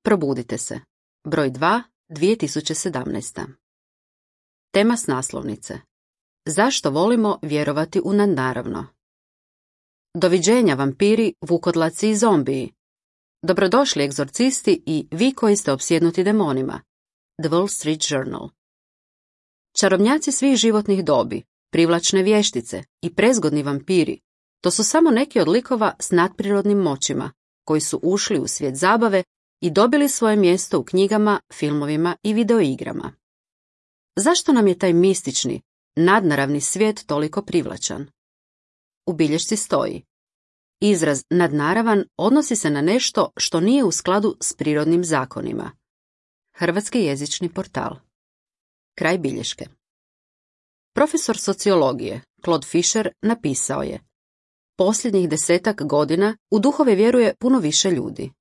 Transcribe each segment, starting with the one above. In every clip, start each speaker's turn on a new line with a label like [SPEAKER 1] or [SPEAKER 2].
[SPEAKER 1] Probudite se. Broj 2, 2017. Tema s naslovnice. Zašto volimo vjerovati u nadnaravno? Doviđenja vampiri, vukodlaci i zombiji. Dobrodošli egzorcisti i vi koji ste opsjednuti demonima. The Wall Street Journal. Čarobnjaci svih životnih dobi, privlačne vještice i prezgodni vampiri, to su samo neki od likova s nadprirodnim moćima, koji su ušli u svijet zabave i dobili svoje mjesto u knjigama, filmovima i videoigrama. Zašto nam je taj mistični, nadnaravni svijet toliko privlačan? U bilješci stoji: izraz nadnaravan odnosi se na nešto što nije u skladu s prirodnim zakonima. Hrvatski jezični portal. Kraj bilješke. Profesor sociologije Claude Fisher napisao je: posljednjih 10 godina u duhove vjeruje puno više ljudi.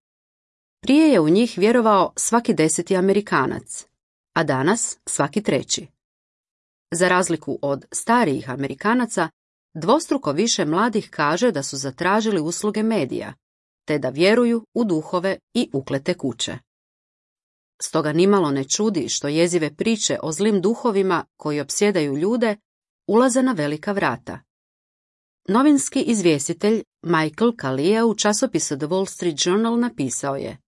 [SPEAKER 1] Prije je u njih vjerovao svaki 10. Amerikanac, a danas svaki 3. Za razliku od starijih Amerikanaca, dvostruko više mladih kaže da su zatražili usluge medija, te da vjeruju u duhove i uklete kuće. Stoga nimalo ne čudi što jezive priče o zlim duhovima koji opsjedaju ljude ulaze na velika vrata. Novinski izvjestitelj Michael Kalia u časopisu The Wall Street Journal napisao je: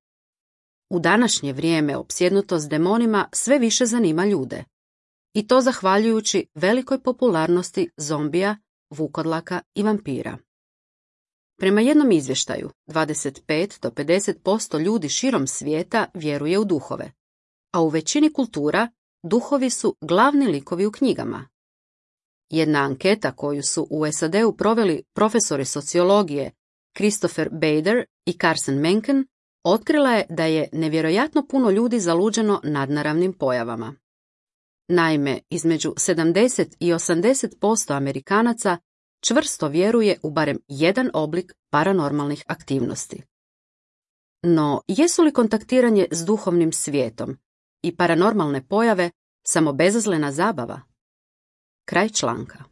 [SPEAKER 1] u današnje vrijeme opsjednutost demonima sve više zanima ljude. I to zahvaljujući velikoj popularnosti zombija, vukodlaka i vampira. Prema jednom izvještaju, 25 do 50% ljudi širom svijeta vjeruje u duhove, a u većini kultura duhovi su glavni likovi u knjigama. Jedna anketa koju su u SAD-u proveli profesori sociologije Christopher Bader i Carson Mencken otkrila je da je nevjerojatno puno ljudi zaluđeno nadnaravnim pojavama. Naime, između 70 i 80% Amerikanaca čvrsto vjeruje u barem jedan oblik paranormalnih aktivnosti. No, jesu li kontaktiranje s duhovnim svijetom i paranormalne pojave samo bezazlena zabava? Kraj članka.